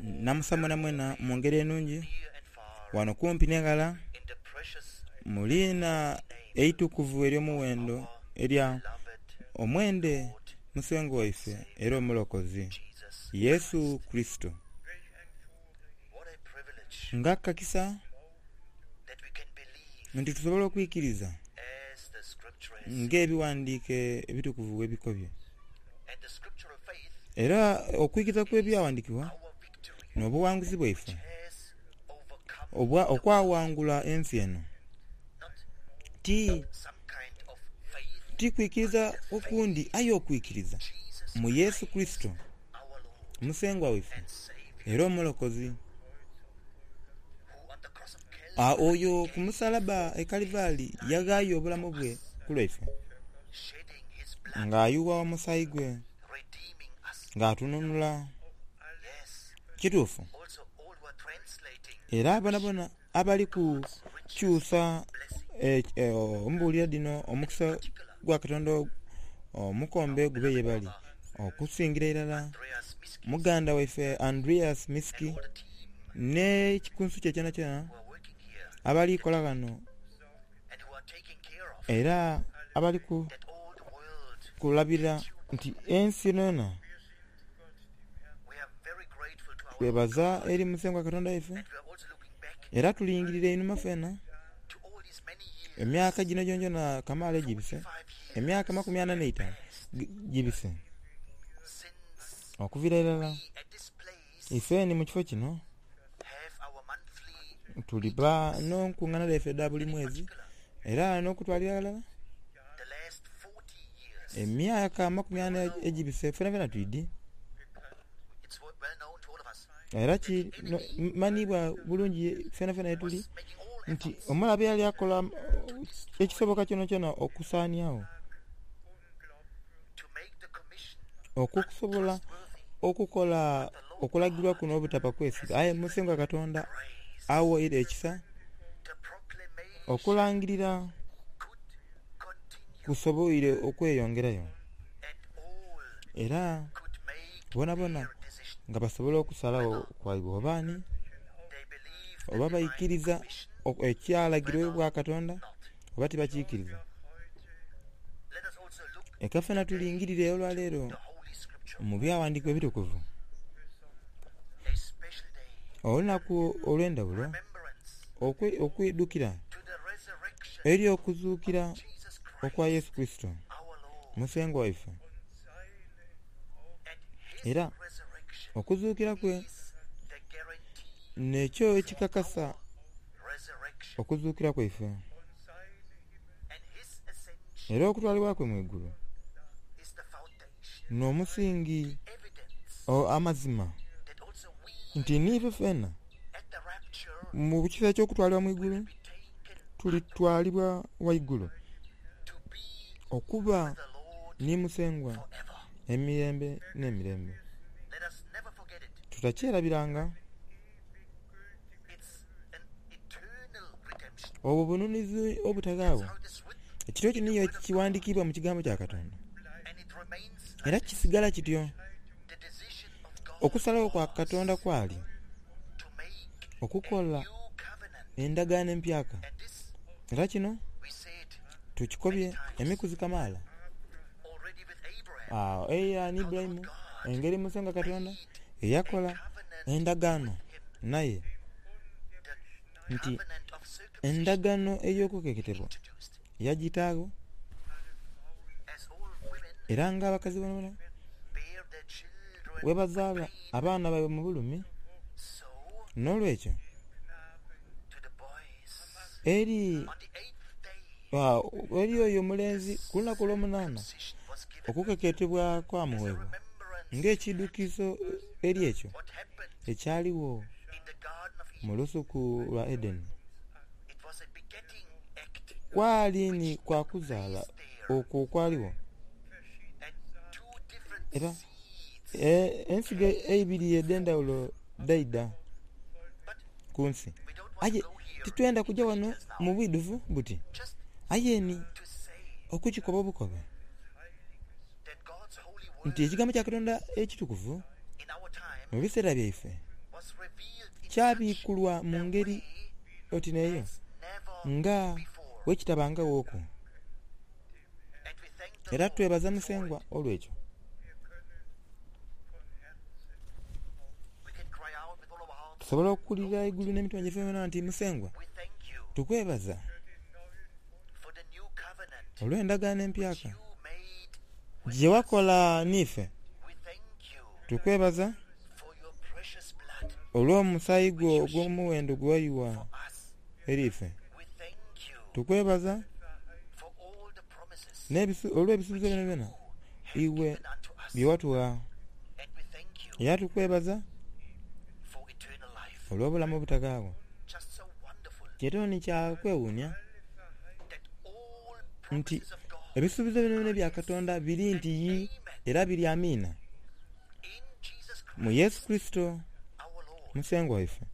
Namusa mwenamwena mu ngeri enungi ghano kumpi n'eghala mu liina eitukuvu ery'omuwendo erya omwende Musengwa waife era Omulokozi, Yesu Kurisito. Nga kakisa nti tusobola okwikiriza ng'Ebighandiike Ebitukuvu bwe bikobye. Era okwikiriza kw'Ebyaghandiikibwa n'obughanguzi bwaife okwawangula ensi eno. Ti, ti kwikiriza okundi aye okwikiriza mu Yesu Kurisito, Musengwa waife era Omulokozi. Oyo ku musalaba e Kalivaali yaghaayo obulamu bwe ku lwaife, ng'ayugha omusaayi gwe, ng'atununula. Kituufu. Era bonabona abali kukyusa embuulira dhino omukisa gwa Katonda omukombe gube ye bali, okusingira irala muganda waife Andreas Miski n'ekikunsu kye kyonakyona abali kola ghano era abali kulabirira nti ensi yonayona Twebaza eri Musengwa Katonda waife, era tulingirira einhuma fena emyaka gino gyonagyona kamaala egibise, emyaka amakumi ana n'eitaanu gibise okuviira irala ife ni mu kifo kino tuliba n'enkungana dhaife edha buli mwezi era n'okutwalira ghalala Emyaka amakumi ana egibise fenafena twidhi era kimanhiibwa bulungi fenafena yetuli nti omulabe yali akola ekisoboka kyonakyona okusaaniagho okusobola okukola okulagirwa kuno obutaba kwesiga. Aye Musengwa Katonda awaire ekisa okulangirira kusoboire okweyongerayo era bonabona nga basobola okusalagho kwaibwe oba ani, oba baikiriza ekyalagirwa obwa Katonda oba tibakikiriza. Leka fena tulingirire olwaleero mu Byaghandiikibwa Ebitukuvu olunaku olw'endhaghulo okwidhukira eri okuzuukira okwa Yesu Kurisito Musengwa waife. Era okuzuukira kwe n'ekyo ekikakasa okuzuukira kwaife. Era okutwalibwa kwe mu igulu n'omusingi amazima nti n'ife fena mu kiseera eky'okutwalibwa mu igulu tulitwalibwa ghaigulu okuba ni Musengwa emirembe n'emirembe. Tutakyerabiranga. Obwo bununuzi obutaghaagho. Ekityo ekyo niyo ekighandikiibwa mu Kigambo kya Katonda. Era kisigala kityo. Okusalagho kwa Katonda kwali okukola endagaano empyaka. Era kino tukikobye emikuzi kamaala. Agho eira ni Ibulayimu, engeri Musengwa Katonda eyakola endagaano naye, nti endagaano ey'okukeketebwa yagitaagho, era ng'abakazi boonaboona bwe bazaala abaana baibwe mu bulumi, n'olwekyo eri eri oyo omulenzi ku lunaku olwomunaana okukeketebwa kwamuweebwa ng'ekiidhukizo eri ekyo ekyaligho mu lusuku lwa Edeni. Kwali ni kwa kuzaala okwo okwaligho, era ensigo eibiri edh'endhaghulo dhaidha ku nsi. Aye titwenda kuja ghano mu bwidhuvu buti, aye ni okukikoba obukobe nti Ekigambo kya Katonda ekitukuvu mu biseera byaife. Kyabikulwa mu ngeri oti n'eyo nga bwekitabangaghooku. Era twebaza Musengwa olw'ekyo. Tusobola okuwulira eigulu n'emitima gyaife yonayona nti, Musengwa, tukwebaza olw'endagaano empyaka gye wakola n'ife. Tukwebaza olw'omusaayi gwo ogw'omuwendo gwe wayugha eri ife. Tukwebaza olw'ebisuubizo byonabyona iwe bye watugha. Era tukwebaza olw'obulamu obutaghaagho. Kyetono ni kya kwewuunia nti ebisuubizo byonabyona ebya Katonda biri nti yii era biri amiina mu Yesu Kurisito Musengwa waife.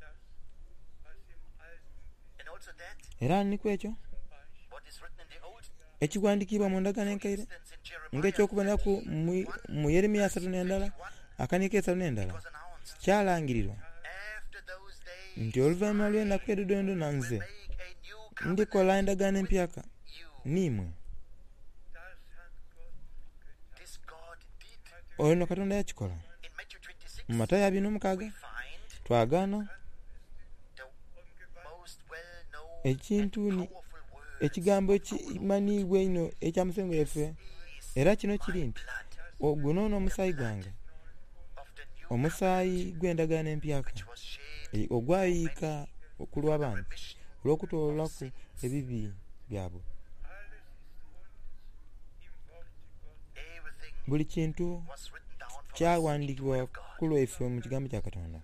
Era ni ku ekyo ekighandikiibwa mu Ndagaano Enkaire ng'eky'okuboneraku mu Yeremia asatu n'endala akaniiko eisatu n'endala, kyalangirirwa nti oluvainhuma lw'enaku edho dhoonadhoona nze ndikola endagaano empyaka n'imwe. Ono Katonda yakikola. Mu Matayo abiri n'omukaaga twagaana ekintu ni ekigambo ekimanhiibwa einho ekya Musengwa waife, era kino kiri nti, Guno n'omusaayi gwange, omusaayi gw'endagaano empyaka, ogwayiika ku lw'abangi olw'okutoolaku ebibi byabwe. Buli kintu kyaghandiikibwa ku lwaife mu Kigambo kya Katonda.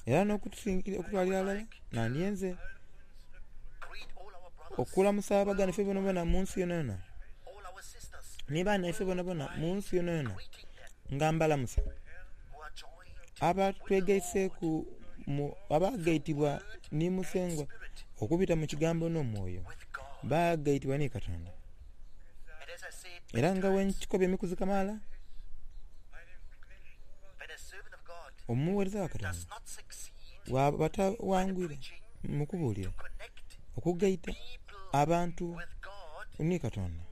Era n'okutwalira aghalala, nandyenze okulamusa abaganda baife boonaboona mu nsi yonayona, ni banaife boonaboona mu nsi yonayona, nga mbalamusa, abatwegaiseeku, abaagaitibwa ni Musengwa okubita mu Kigambo n'Omwoyo, baagaitibwa ni Katonda. Era nga bwe nkikobye emikuzi kamaala, omugheereza wa Katonda bw'aba tawangwire mu kubuulira okugaita abantu ni Katonda,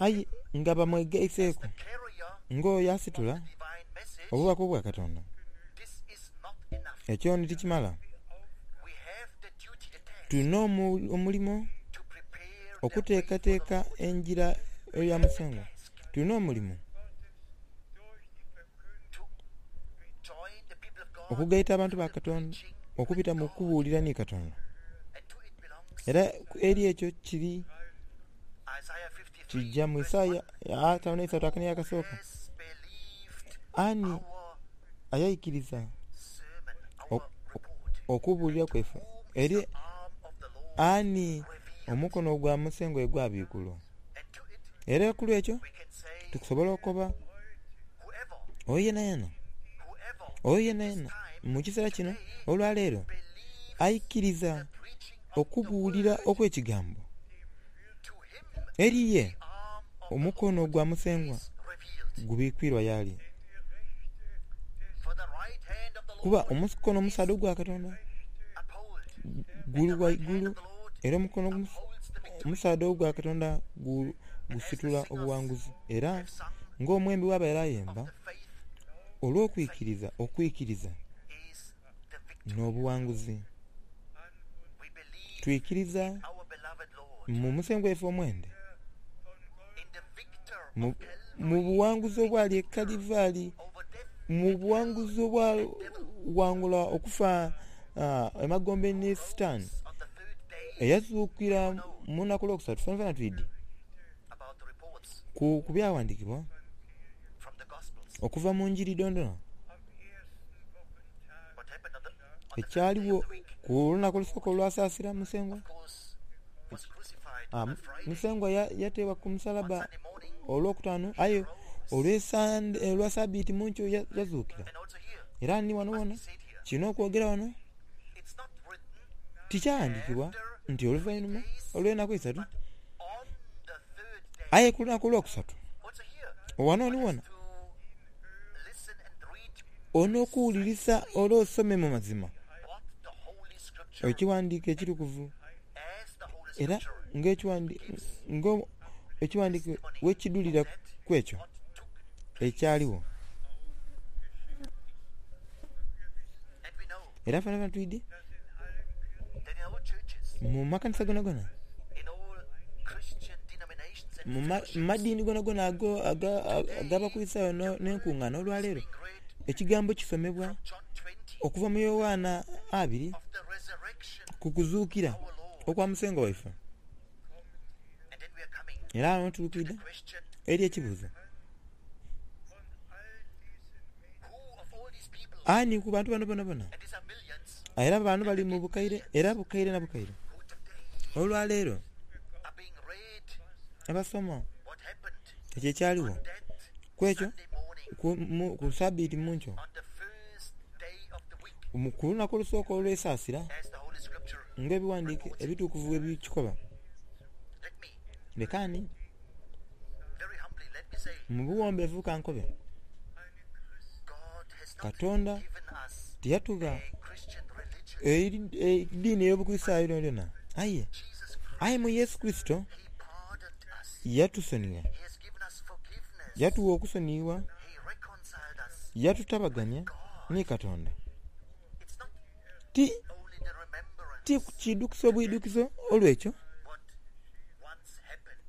aye nga bamwegaiseeku ng'oyo asitula obubaka obwa Katonda, ekyo ni tikimala. Tulina omulimo okuteekateeka engira eya Musengwa. Tulina omulimo okugaita abantu ba Katonda okubita mu kubuulira ni Katonda. Era eri ekyo kiri kija mu Isaia ataanu n'eisatu akaniiro akasooka, Ani ayaikiriza okubuulira kwaife? Eri ani omukono gwa Musengwa gwe gwabiikulwa? Era ku lw'ekyo tukusobola okukoba oyo yenayena, oyo yenayena mu kiseera kino olwaleero aikiriza okubuulira okw'ekigambo eri ye, omukono gwa Musengwa gubikwirwa y'ali. Kuba omukono omusaadha ogwa Katonda guli ghaigulu era omukono omusaadha ogwa Katonda gusitula obuwanguzi. Era ng'omwembi bw'abaire ayemba, olw'okwikiriza, okwikiriza n'obuwanguzi. Twikiriza mu Musengwa waife omwende, mu buwanguzi obwali e Kalivari, mu buwanguzi obwaghangula okufa emagombe ni Sitaani, eyazuukira mu lunaku olwokusatu. Fenafena twidhi ku byaghandiikibwa okuva mu Njiri dhoonadhoona ekyaligho ku lunaku olusooka olwa Saasira Musengwa. Musengwa yateebwa ku musalabba olwokutaanu aye olwa Sabiiti mu nkyo yazuukira. Era ni ghano ghona kirina okwogera ghano Tikyaghandiikibwa nti oluvainhuma olw'enaku eisatu, aye ku lunaku olwokusatu. Ghano ni ghona. Onookuwulirisa ole osome mu mazima ekighandiiko ekitukuvu era ng'ekighandiiko bwekidhulira ku ekyo ekyaligho. Era fenafena twidhi mu makanisa gonagona, mu madiini gonagona ag'Abakulisitayo n'enkungaana olwaleero, ekigambo kisomebwa okuva mu Yoanna abiri ku kuzuukira okwa Musengwa waife. Era agho tuli kwidha eri ekibuuzo, Ani ku bantu bano bonabona? Era bano bali mu bukaire era bukaire na bukaire olwaleero abasoma ekyo ekyaligho ku ekyo ku sabiiti mu nkyo ku lunaku olusooka olw'esaasira ng'ebighandiiko ebitukuvu bwe bikikoba. Leka ni mu buwombeefu ka nkobe, Katonda tiyatugha ediini ey'Obukulisitaayo yonayona, aye aye mu Yesu Kurisito yatusonigha, yatugha okusoniyibwa, yatutabagania ni Katonda. Ti, ti kiidhukizo bwidhukizo olw'ekyo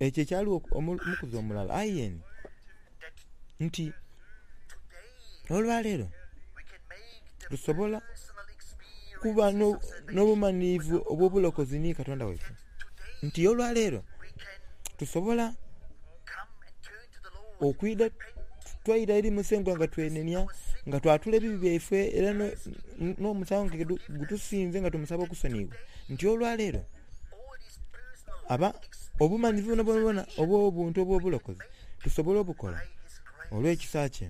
ekyo ekyaligho omukuzi omulala, aye ni nti olwaleero tusobola kuba n'obumanhirivu obw'obulokozi ni Katonda waife, nti olwaleero tusobola okwidha twaira eri Musengwa nga twenenia, nga twatula ebibi byaife era n'omusango nga gutusinze nga tumusaba okusoniyibwa, nti olwaleero aba obumanhivu bwonabwona obw'obuntu obw'obulokozi tusobola obukola olw'ekisa kye.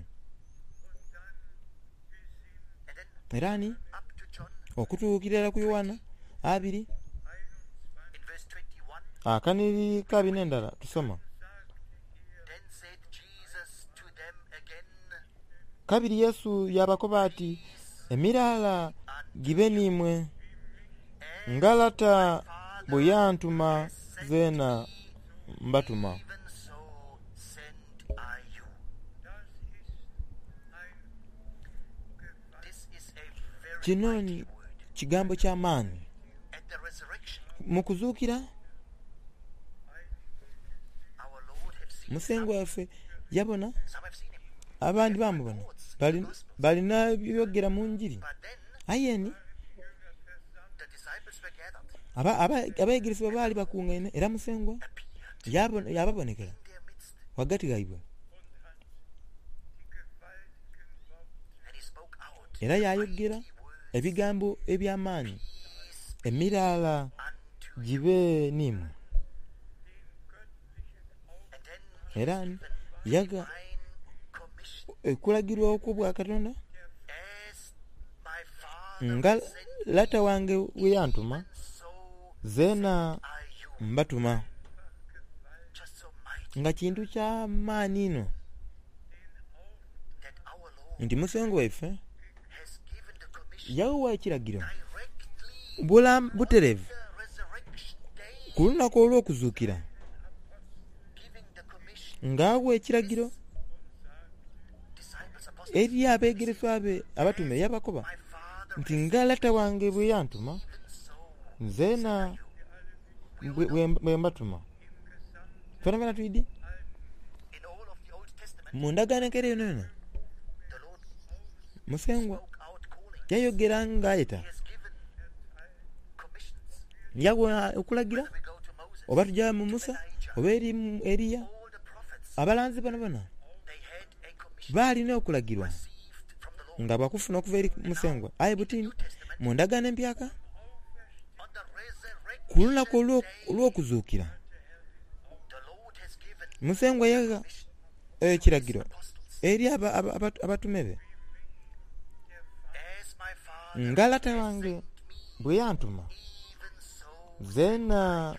Era ni okutuukira irala ku Yoanna abiri akanhiriri ka bino endala tusoma. Kabiri Yesu yaabakoba ati, Emiraala gibe n'imwe. Nga Lata bwe yantuma zeena mbatuma. Kino ni kigambo kya maani. Mu kuzuukira, Musengwa waife yabona, abandi baamubona, balina byogera mu njiri. Aye ni abeegeresebwa baali bakungaine era Musengwa yaababonekera ghagati ghaibwe. Era yaayogera ebigambo eby'amaani, Emiraala gibe n'imwe. Era yagha okulagirwa okw'Obwakatonda nga Lata wange bwe yantuma, zeena mbatuma. Nga kintu kya maani inho nti Musengwa waife yagha ekiragiro butereevu ku lunaku olw'okuzuukira, nga agha ekiragiro eri abeegereswa be abatume, yabakoba nti, Nga Lata wange bwe yantuma, zeena bwe mbatuma. Fenafena twidhi mu ndagaano enkaire yonayona Musengwa yayogera nga ayeta, yagha okulagira oba tuja mu Musa oba eri Eriya, abalanzi bonabona baali n'okulagirwa nga bakufuna okuva eri Musengwa. Aye buti mu ndagaano empyaka, Ku lunaku olw'okuzuukira, Musengwa yagha ekiragiro eri abatume be, Nga Lata wange bwe yantuma, zeena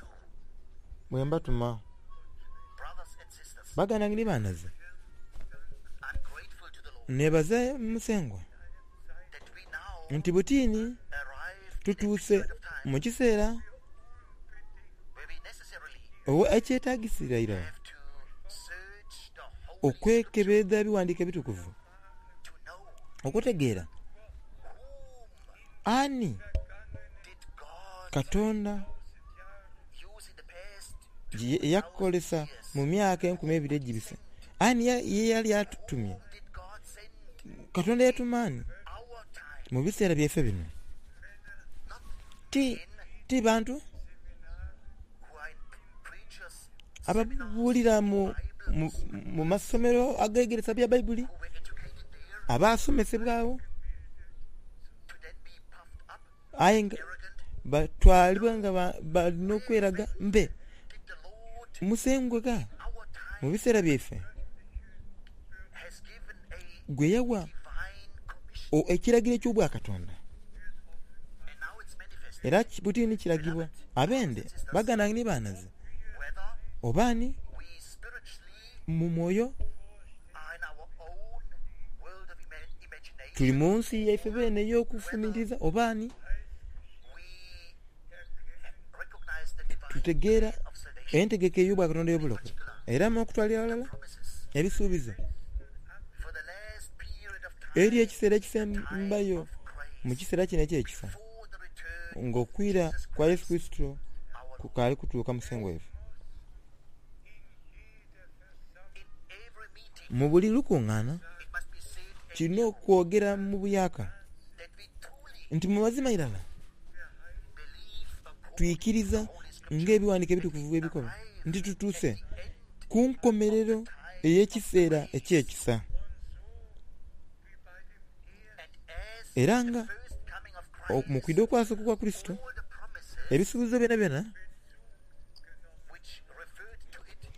bwe mbatuma. Baganda bange ni banhaze, neebaza Musengwa. Nti butini tutuuse mu kiseera ekyetagisira irala okwekebeedha Ebiwandiiko Ebitukuvu okutegeera ani Katonda ye yakozesa mu myaka enkumi eibiri egibise. Ani ye yali atumye? Katonda yatuma ani mu biseera byaife bino? Ti, ti bantu ababuulira mu, mu, mu masomero agegeresa bya Baibuli, abaasomesebwa agho, aye nga batwalibwa nga bali n'okweraga mbe Musengwa gha mu biseera byaife gwe yawa ekiragiro eky'Obwakatonda, era buti ni kiragibwa abende baganda ni baanaze, oba ni mu mwoyo. Tuli mu nsi yaife beene ey'okufumintiriza oba ni tutegeera entegeka ey'Obwakatonda ey'obulokozi era n'okutwalira aghalala ebisuubizo eri ekiseera ekisembayo mu kiseera kino eky'ekisa ng'okwira kwa Yesu Kurisito kukaali kutuuka Musengwa waife. Mu buli lukungaana kirina okwogera mu buyaaka nti mu mazima irala twikiriza ng'Ebiwandiiko Ebitukuvu bwe bikoba nti tutuuse ku nkomerero ey'ekiseera eky'ekisa. Era nga mu kwidha okwasooka okwa Kurisito, ebisuubizo byonabyona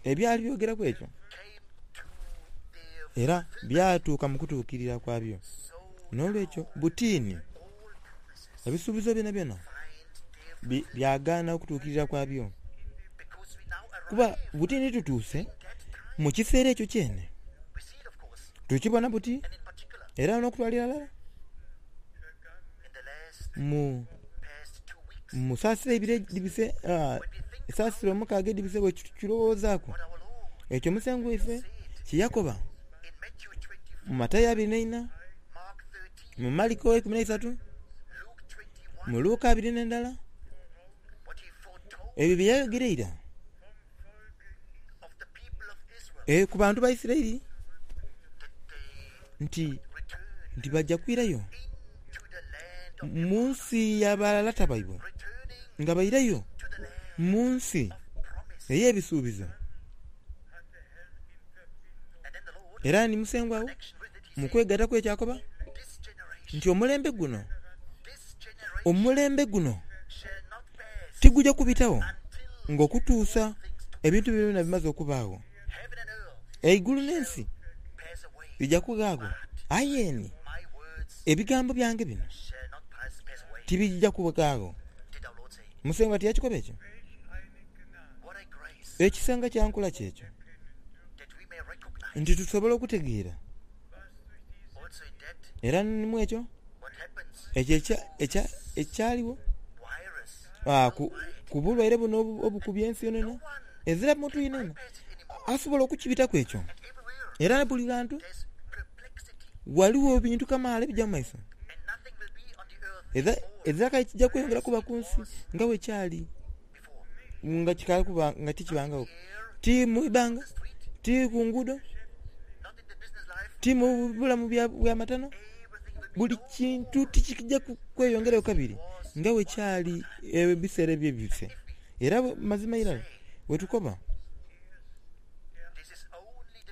Ebyali byogeraku ekyo era byatuuka mu kutuukirira kwabyo. N'olwekyo butiini ebisuubizo byonabyona byagaana okutuukirira kwabyo, kuba butiini tutuuse mu kiseera ekyo kyene. Tukibona buti era n'okutwalira ghalala mu. Mu saasira eibiri edhibise, esaasira omukaaga edhibise bwe tukirowoozaaku, ekyo Musengwa waife kye yakoba mu Matayo abiri n'eina, mu Mariko eikumi n'eisatu, mu Luka abiri n'endala, ebyo bye yayogera eira ku bantu ba Isiraeli nti nti baja kwirayo mu nsi ya balata baibwe, nga bairayo mu nsi ey'ebisuubizo. Era ni Musengwa wo mu kwegaita kwe ky'akoba nti omulembe guno, omulembe guno tiguja kubitagho ng'okutuusa ebintu bino byona bimaze okubaagho. Eigulu n'ensi bija kughaagho, aye ni ebigambo byange bino tibija kughaagho. Musengwa tiyakikoba ekyo? Ekisa nga kya nkula ki ekyo, nti tusobola okutegeera era ni mu ekyo ekyo ekyaligho ku bulwaire buno obukubye ensi yonayona. Ezira muntu yenayena asobola okukibitaku ekyo. Era buli ghantu ghaligho ebintu kamaala ebija mu maiso. Ezira kale kija kweyongera kuba ku nsi nga bwe kyali nga kikaali kuba nga tikibangagho. Ti mu ibanga, ti ku nguudo, ti mu bulamu bwa matano. Buli kintu tikija kweyongerayo kabiri nga bwe kyali ebiseera ebyebise. Era mazima irala bwe tukoba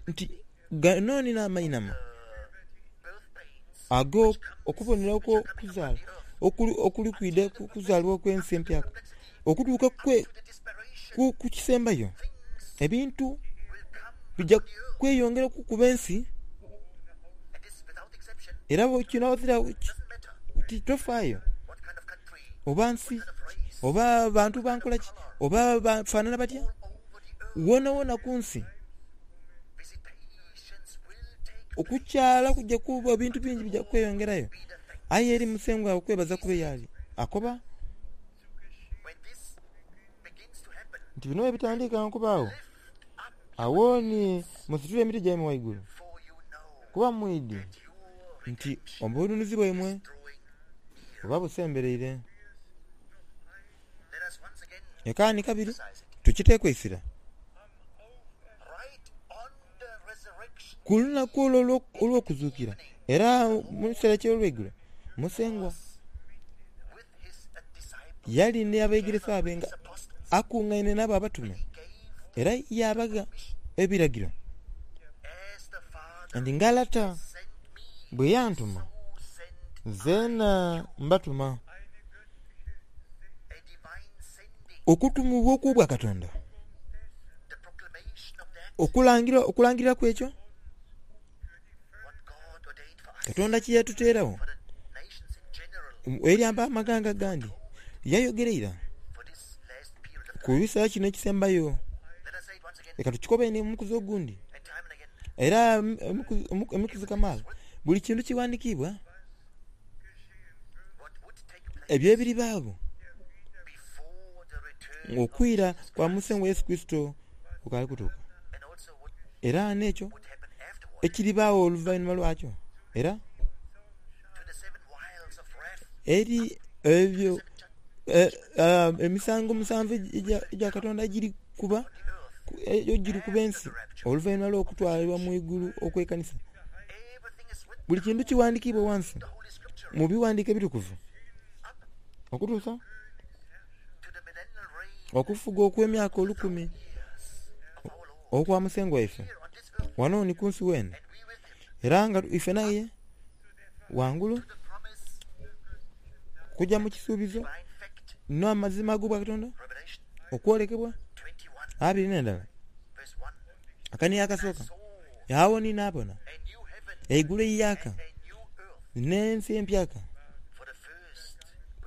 nti gano ni n'amainhama ag'okubonera okw'okuzaala okuli kwidha ku kuzaalibwa okw'ensi empyaka, okutuuka ku kisembayo, ebintu bija kweyongera okukuba ensi era kino ghazira tofaayo. oba nsi, oba bantu ba nkola ki, oba bafaanana batya, wonawona ku nsi okukyala kuja kuba ebintu bingi bija kweyongerayo. Aye eri Musengwa okwebaza kube y'ali. Akoba nti bino bwe bitandika okubaagho, agho ni musitule emiti gyaimwe ghaigulu, kuba mwidhi nti obununuzi bwaimwe buba busembereire. Ekaani kabiri tukiteeku eisira ku lunaku olwo olw'okuzuukira, era mu kiseera eky'olweigulo, Musengwa yali ni abeegeresa be nga akungaine n'abo abatume, era yaabagha ebiragiro nti, Nga Lata bwe yantuma, zeena mbatuma. Okutumibwa okw'Obwakatonda, okulangira okulangirira kw'ekyo Katonda kye yatuteeragho eri abamaghanga agandi, yayogera ira ku biseera kino ekisembayo. Leka tukikobe ni omukuzi ogundi era emikuzi kamaala, buli kintu kighandikiibwa. Ebyo ebiribaagho ng'okwira kwa Musengwa Yesu Kurisito kukaali kutuuka, era n'ekyo ekiribaagho oluvainhuma lwakyo, era eri ebyo emisango omusanvu egya Katonda egiri kuba ensi oluvainhuma lw'okutwalibwa mu igulu okw'ekanisa. Buli kintu kighandikiibwa ghansi mu bighandiiko ebitukuvu okutuusa okufuga okw'emyaka olukumi okwa Musengwa waife ghano ni ku nsi weene, era nga ife naye ghangulu kuja mu kisuubizo n'amazima ag'Obwakatonda okwolekebwa 21. Akanigo akasooka, agho ni naabona eigulu eiyaaka n'ensi empyaka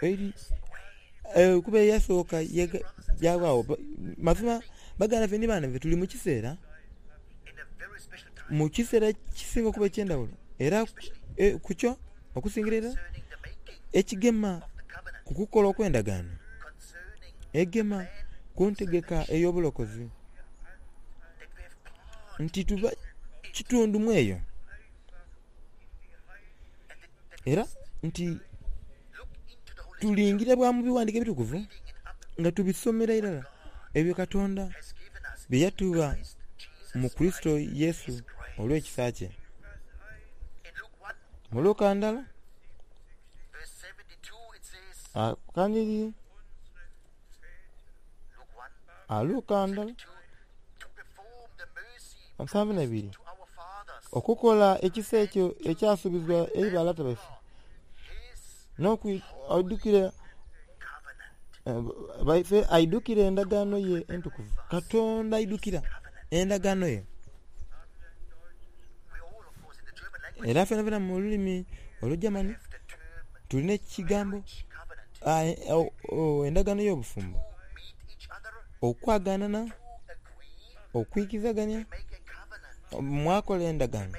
eri kuba eyasooka yawaagho. Mazima baganda baife ni baana baife tuli mu kiseera, mu kiseera ekisinga okuba eky'endhaghulo era ku kyo okusingira irala ekigema ku kukola okw'endagaano egema ku ntegeka ey'obulokozi. Nti tuba kitundu mu eyo, era nti tulingire bwa mu bighandiiko ebitukuvu nga tubisomera irala ebyo Katonda bye yatugha mu Kurisito Yesu olw'ekisa kye. Mu Luka ndala, akanhiriri. Luka ndala 72, Okukola ekisa ekyo ekyasuubizibwa eri balata baife, n'okwidhukira baife aidhukire endagaano ye entukuvu. Katonda aidhukira endagaano ye. Era fenafena mu lulimi Olugermany tulina ekigambo endagaano y'obufumbo, okwaganana, okwikizagania, mwakola endagaano,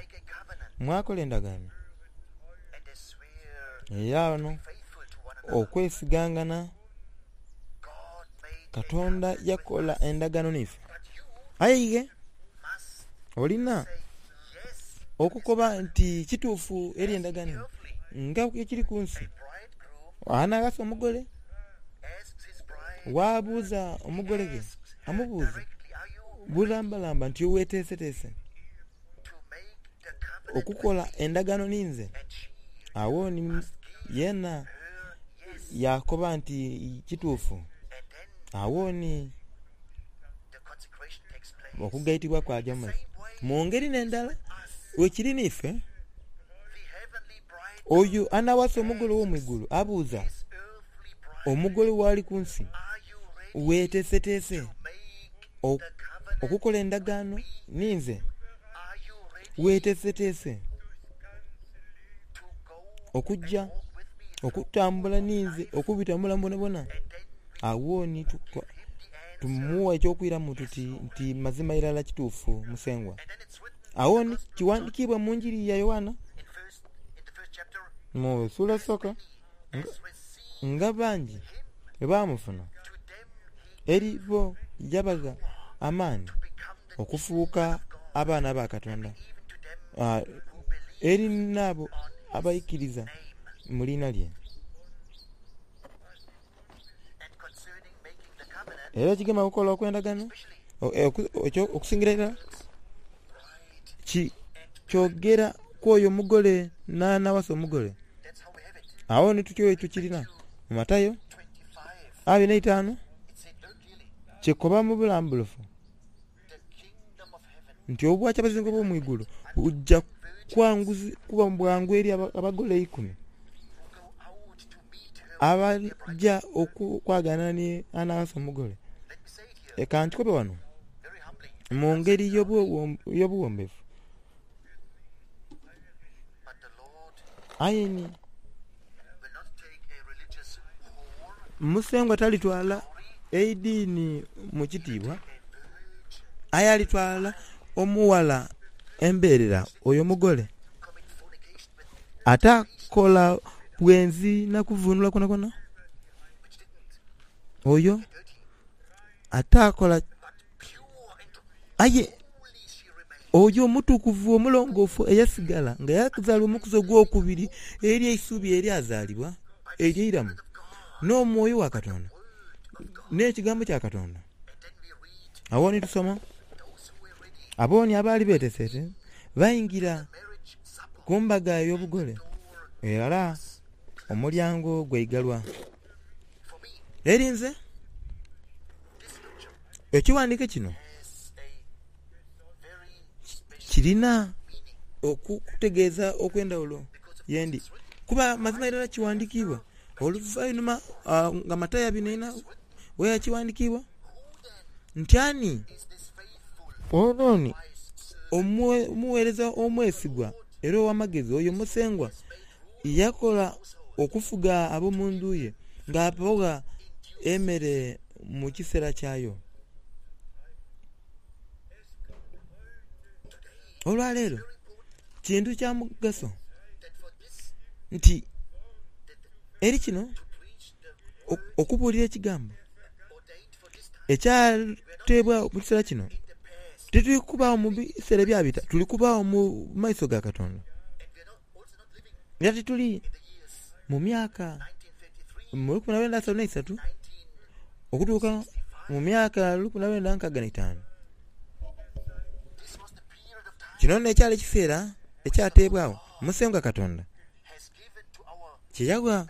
mwakola endagaano. Era ghano okwesigangana, Katonda yakola endagaano n'ife. Aye ighe olina okukoba nti kituufu eri endagaano eno nga ekiri ku nsi. Anaghasa omugole, waabuuza omugole ghe, amubuuza bulambalamba nti weteeseteese okukola endagaano ninze? Agho ni yeena yaakoba nti kituufu. Agho ni okugaitibwa kwaja mu maiso. Mu ngeri n'endala, bwekiri n'ife, oyo anawasa omugole ow'omu igulu abuuza omugole w'ali ku nsi, Weeteeseteese okukola endagaano ninze? Weeteeseteese okuja okutambula ninze okubita mu bulamu bwonabwona? Agho ni tumuwa eky'okwiramu tuti nti mazima irala kituufu Musengwa. Agho ni kiwandikiibwa mu Njiri ya Yoanna. Mu suula esooka, nga bangi bwe baamufuna, eri bo yabagha amaani okufuuka abaana ba Katonda, eri n'abo abaikiriza mu liina lye. Era ekigema okukola okw'endagaano, okusingira irala kyogera ku oyo omugole n'anawasa omugole. Agho ni tutyo bwe tukirina mu Matayo 25, kikoba mu bulambulufu nti obwakyabazinga obw'omu igulu buja kuba bwangu eri abagole eikumi abalija okwagaana ni anawasa omugole. Ka nkikobe ghano mu ngeri y'obughombefu. Aye ni Musengwa talitwala eidiini mu kitiibwa, aye alitwala omughala embeerera, oyo omugole, atakola bwenzi na kuvunula kwonakwona, oyo atakola. Aye oyo omutukuvu omulongoofu eyasigala nga yaakazaalibwa omukuzi ogwokubiri eri eisubi eryazaalibwa ery'eiramu n'Omwoyo wa Katonda n'Ekigambo kya Katonda. Agho ni tusoma, Abo ni abaali beeteeseteese baingira ku mbaga ey'obugole, era omulyango gwaigalwa. Eri nze. Ekighandiiko kino kirina okutegeeza okw'endhaghulo ye ndi, kuba mazima irala kighandikiibwa oluvainhuma nga Matayo abinhainha bweyakighandikiibwa nti ani ono ni omugheereza omwesigwa era ow'amagezi oyo Musengwa yakola okufuga ab'omu ndhu ye ng'abagha emere mu kiseera kyayo. Olwaleero kintu kya mugaso nti eri kino okubuulira ekigambo ekyateebwagho mu kiseera kino. Tituli kubaagho mu biseera ebyabita, tuli kubaagho mu maiso ga Katonda. Era tituli mu myaka mu 1933 okutuuka mu myaka 1965. Kino n'ekyali ekiseera ekyateebwagho Musengwa Katonda kye yagha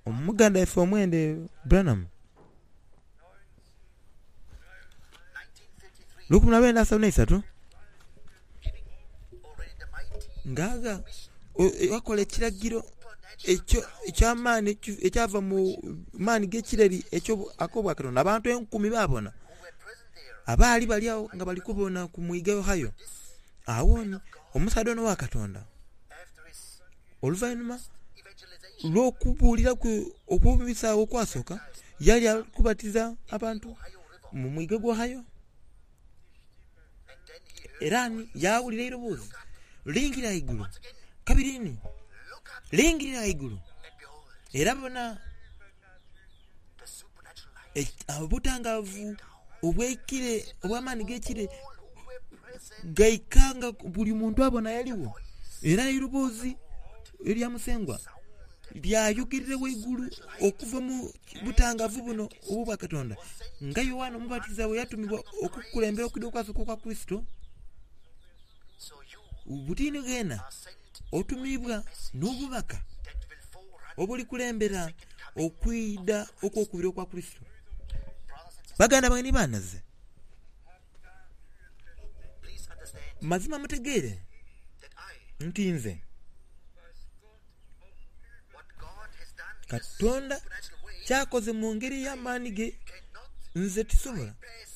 muganda waife omwende Branham. 1933 ng'agha wakola ekiragiro eky'amaani ekyava mu maani g'ekireri ak'obwakatonda. Abantu enkumi baabona abaali bali agho nga bali kubona ku mwiga Ohio. Agho ni omusaadha ono owa Katonda oluvainhuma lw'okubuulira kwe okw'omubisaagho okwasooka, yali ali kubatiza abantu mu mwiga gw'Ohio. Era ni yaawulira eiroboozi, Lingirira ghaigulu! Kabiri ni, Lingirira ghaigulu! Era bona obutangaavu obw'ekire, obw'amaani g'ekire gaika nga buli muntu abona eyaligho. Era eiroboozi erya Musengwa lyayugirira ghaigulu okuva mu butangaavu buno obw'Obwakatonda, nga Yoanne Omubatiza bwe yatumibwa okukulembera okwidha okwasooka okwa Kurisito. Buti ni gheena otumiibwa n'obubaka obulikulembera okwidha okw'okubiri okwa Kurisito. Baganda bange ni banhaze, mazima mutegeere nti nze Katonda ky'akoze mu ngeri ey'amaani ge nze tisobola,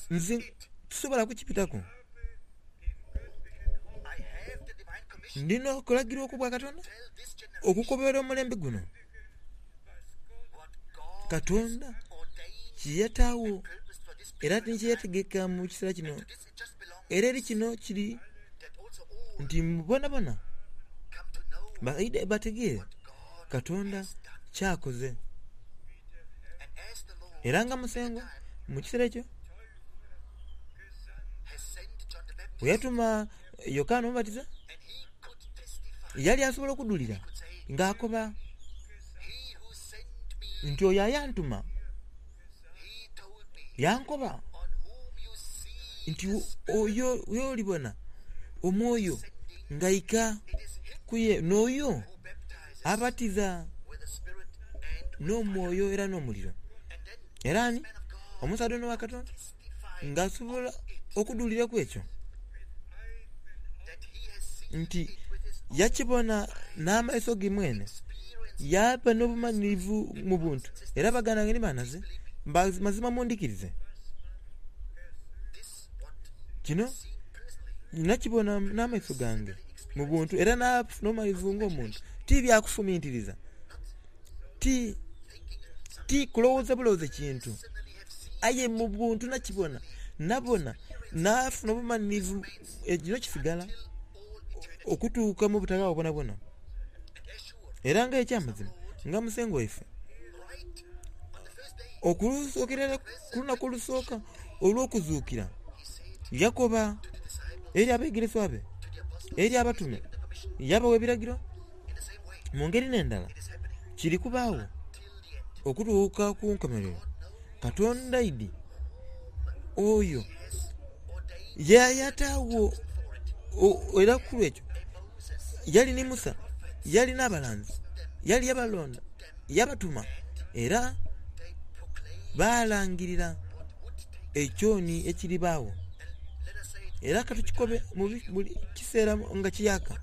nze tisobola kukibitaku. Ndi n'okulagirwa okw'Obwakatonda okukobera omulembe guno Katonda kye yataagho era ni kye yategeka mu kiseera kino. Era eri kino kiri nti bonabona baidhe bategeere. Katonda kyakoze. Era nga Musengwa mu kiseera ekyo bwe yatuma Yokaana Omubatiza, yali asobola okudhulira ng'akoba nti oyo ayantuma yankoba nti oyo y'olibona Omwoyo ng'aika ku ye, n'oyo abatiza n'omwoyo era n'omuliro. Era ni omusaadha ono owa Katonda ng'asobola okudhulira ku ekyo nti yakibona n'amaiso ge mwene, yaaba n'obumanhirivu mu buntu. Era baganda bange ni banhaze, mazima mundhikirize, kino nakibona n'amaiso gange mu buntu era naafuna obumanhirivu ng'omuntu. Ti bya kufumintiriza, ti, ti kulowooza bulowooze kintu, aye mu buntu nakibona, nabona, naafuna obumanhirivu. Kino kisigala okutuuka mu butaghaagho bwonabwona. Era nga eky'amazima, nga Musengwa waife, okusookera irala ku lunaku olusooka olw'okuzuukira, yakoba eri abeegereswa be, eri abatume, yabagha ebiragiro. Mu ngeri n'endala, kiri kubaagho okutuuka ku nkomerero. Katonda aidhi oyo ye yataagho era ku lw'ekyo yali ni Musa, yali n'abalanzi, yali yabalonda, yabatuma era baalangirira ekyoni ekiribaagho. Era ka tukikobe mu buli kiseera nga kiyaaka,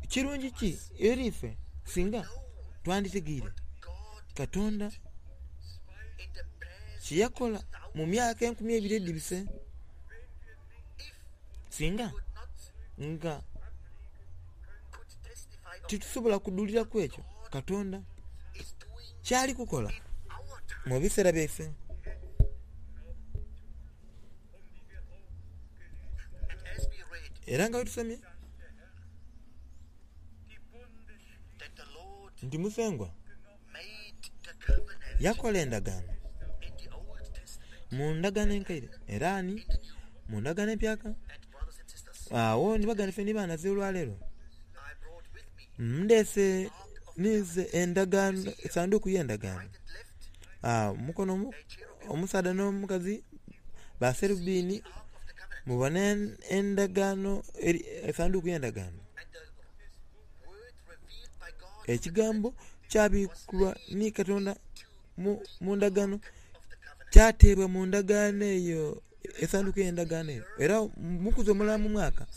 kirungi ki eri ife singa twanditegeire Katonda kye yakola mu myaka 2000 edhibise, singa nga titusobola kudhulira ku ekyo Katonda ky'ali kukola mu biseera byaife. Era nga bwe tusomye nti Musengwa yakola endagaano mu ndagaano enkaire era ni mu ndagaano empyaka. Agho ni baganda baife ni banhaze olwaleero, ndhese ninze endagaano, esanduuku y'endagaano. Omukono omusaadha n'omukazi baserubiini mubone endagaano, esanduuku y'endagaano. Ekigambo kyabikulwa ni Katonda mu ndagaano, kyateebwa mu ndagaano eyo, esanduuku ey'endagaano eyo. Era mukuzi omulala mu mwaka,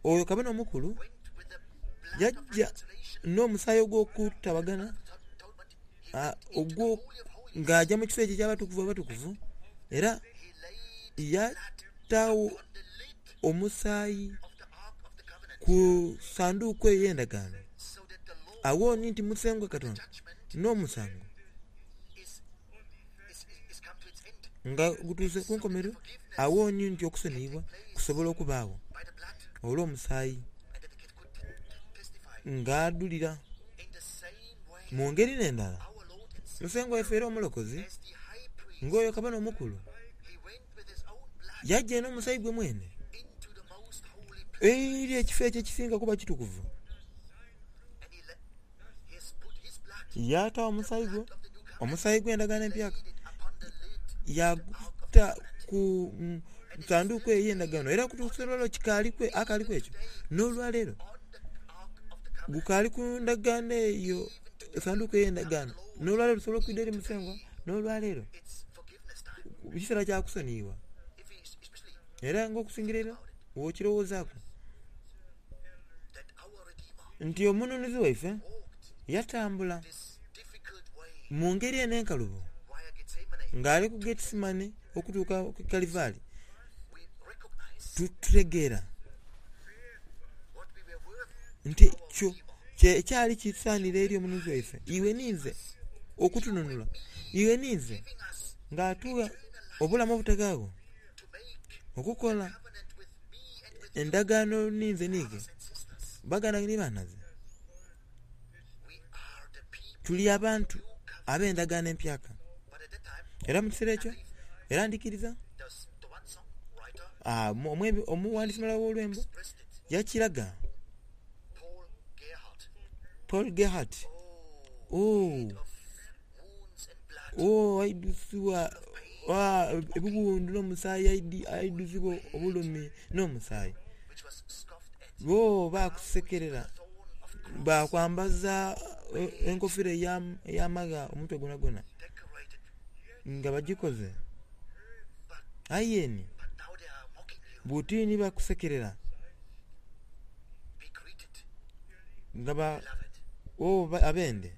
oyo kabona omukulu yaja n'omusaayi ogw'okutabagana ogwo ng'aja mu kifo ekyo eky'Abatukuvu Abatukuvu, era yataagho omusaayi ku sanduuku eyo ey'endagaano. Agho ni nti Musengwa Katonda n'omusango nga gutuuse ku nkomerero, agho ni nti okusoniyibwa kusobola okubaagho olw'omusaayi ng'adhulira. Mu ngeri n'endala, Musengwa waife era Omulokozi, ng'oyo Kabona Omukulu, yaja eno omusaayi gwe mwene eri ekifo ekyo ekisinga kuba kitukuvu. Yaata omusaayi gwe, omusaayi gw'endagaano empyaka, yaaguta ku sanduuku eyo ey'endagaano era okutuusa olwaleero kikaaliku, akaaliku ekyo n'olwaleero gukaali ku ndagaano eyo, esanduuku ey'endagaano. N'olwaleero tusobola okwidha eri Musengwa n'olwaleero. Kiseera kya kusoniyibwa. Era ng'okusingira irala bw'okirowoozaaku nti Omununuzi waife yatambula mu ngeri eno enkalubo ng'ali ku Getisemane okutuuka ku Kalivaali, tutegeera nti ekyo kyali kisaanira eri Omununuzi waife, iwe ninze, okutununula, iwe ninze, ng'atugha obulamu obutaghaagho, okukola endagaano ninze niighe, baganda ni banhaze. Tuli abantu ab'endagaano empyaka. Era mu kiseera ekyo, era ndhikiriza omughandiisi mulala ow'olwembo yakiraga. Paul Gerhardt, oh, oh, aidhuzibwa ebighundhu n'omusaayi, aidhuzibwa obulumi n'omusaayi. Bo baakusekerera, baakwambaza enkofira ey'amagha omutwe gwonagwona nga bagikoze. Aye ni buti ni bakusekerera nga ba oh, abende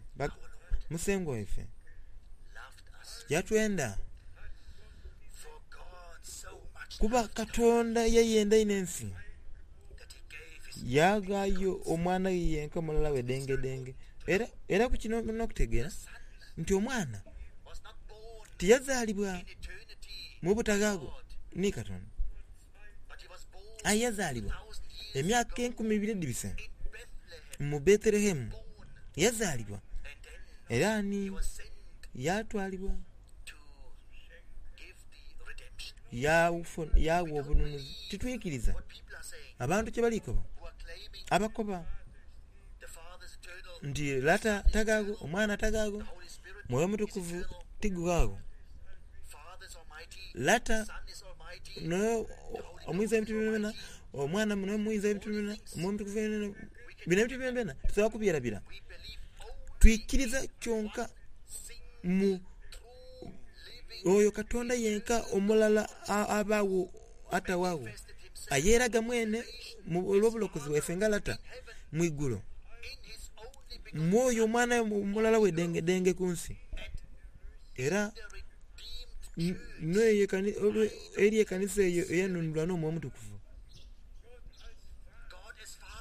Musengwa waife yatwenda kuba Katonda yayenda inho ensi yaaghaayo Omwana ghe yenka omulala we dengedenge. Era, era ku kino mulina okutegeera nti Omwana tiyazaalibwa mu butaghaagho ni Katonda, aye yazaalibwa emyaka enkumi ibiri edhibise mu Bethelehemu. Yazaalibwa era ni yaatwalibwa yaagha obununuzi. Titwikiriza abantu kye bali koba, abakoba nti Lata tagaagho, Omwana tagaagho, Mwoyo Mutukuvu tigughagho. Lata n'omuyinza w'ebintu byonabyona, Omwana n'omuyinza w'ebintu byonabyona, Omwoyo Omutukuvu bino ebintu byonabyona tusobola kubyerabira. Twikiriza kyonka mu oyo Katonda yenka omulala abaagho atawagho, ayeeraga mwene olw'obulokozi bwaife nga Lata mu igulu, mu oyo Omwana omulala we dengedenge ku nsi, era eri ekanisa eyo eyanunulwa n'Omwoyo Omutukuvu.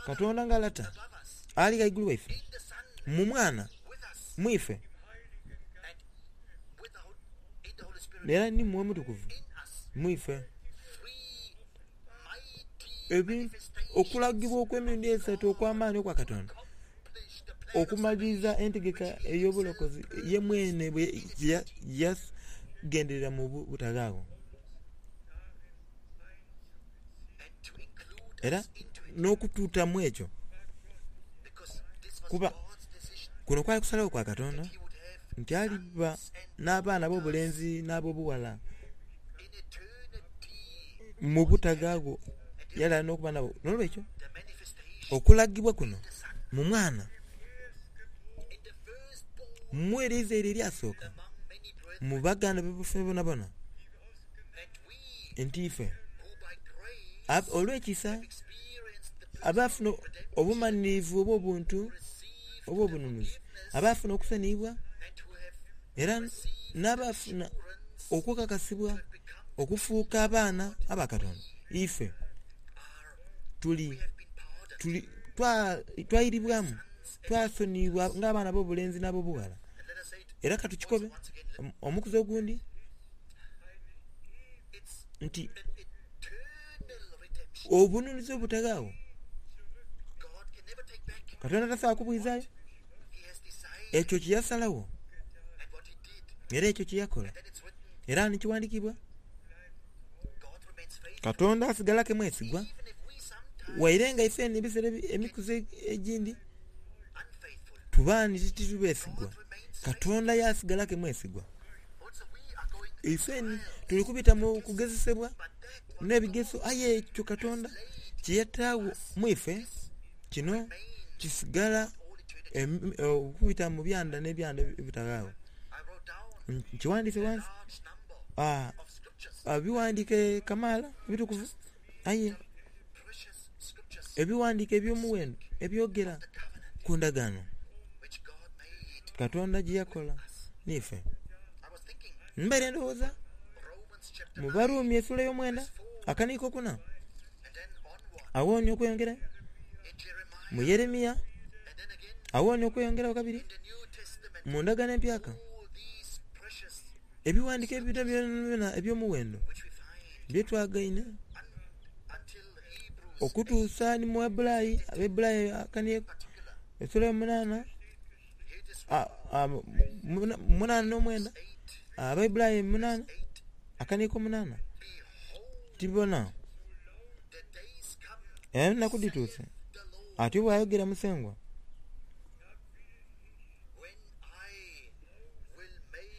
Katonda nga Lata ali ghaigulu waife, mu Mwana mu ife, era ni Mwoyo Mutukuvu mu ife. Okulagibwa okw'emirundi esatu okw'amaani okwa Katonda okumaliriza entegeka ey'obulokozi ye mwene bwe yagenderera mu butaghaagho. Era n'okutuuta mu ekyo, kuba kuno kwali kusalagho kwa Katonda nti aliba n'abaana ab'obulenzi n'ab'obughala mu butaghaagho yali ali n'okuba nabo. N'olwekyo, okulagibwa kuno mu Mwana, mu eriizaire eryasooka mu baganda baife bonabona, nti ife olw'ekisa abaafuna obumanhirivu obw'obuntu obw'obununuzi, abaafuna okusoniyibwa era n'abaafuna okukakasibwa okufuuka abaana aba Katonda, ife tuli, tuli, twairibwamu, twasoniyibwa ng'abaana ab'obulenzi n'ab'obughala. Era ka tukikobe omukuzi ogundi nti obununuzi obutaghaagho Katonda tasobola kubwizaayo. Ekyo kye yasalagho era ekyo kye yakola era ni kighandiikibwa. Katonda asigala ke mwesigwa waire nga ife ebiseera emikuzi egindi tuba ni tituli besigwa. Katonda yaasigala ke mwesigwa. Ife tuli kubita mu kugezesebwa n'ebigezo, aye ekyo Katonda kye yataagho mu ife kino kisigala okubita mu byanda n'ebyanda ebitaghaagho. Nkighandiise ghansi, ebighandiike kamaala ebitukuvu, aye ebighandiike eby'omuwendo ebyogera ku ndagaano Katonda gye yakola n'ife. Mbaire ndowooza mu Barumi esula ey'omwenda akaniiko okuna, agho ni okweyongerayo mu Yeremia, agho ni okweyongerayo kabiri mu Ndagaano Empyaka. Ebighandiiko ebyo byonabyona eby'omuwendo bye twagaine okutuusa ni mu Abebbulaayi, Abebbulaayi akaniiko esula ey'omunaana. 8 n'omwenda, Abaibulayi 8 akaniiko 8. Tibona, enaku dhituuse, atyo bw'ayogera Musengwa.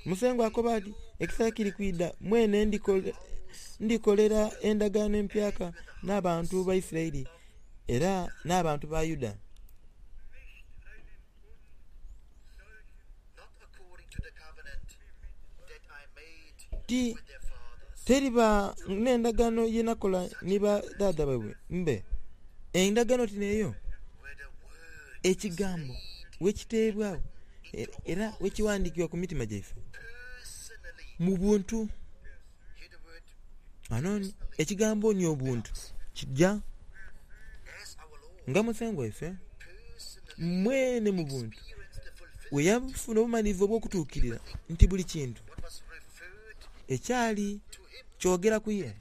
Musengwa akoba ati, Ekiseera kiri kwidha mwene ndikolera endagaano empyaka n'abantu ba Isiraeli era n'abantu ba Yuda. Ti teriba n'endagaano ye nakola ni ba dhaadha baibwe mbe. Endagaano ti n'eyo? Ekigambo bwe kiteebwagho era bwe kiwandiikibwa ku mitima gyaife mu buntu. Ghano ekigambo ni obuntu kija nga Musengwa waife mwene mu buntu bwe yafuna obumalirivu obw'okutuukirira nti buli kintu ekyali kyogera ku ye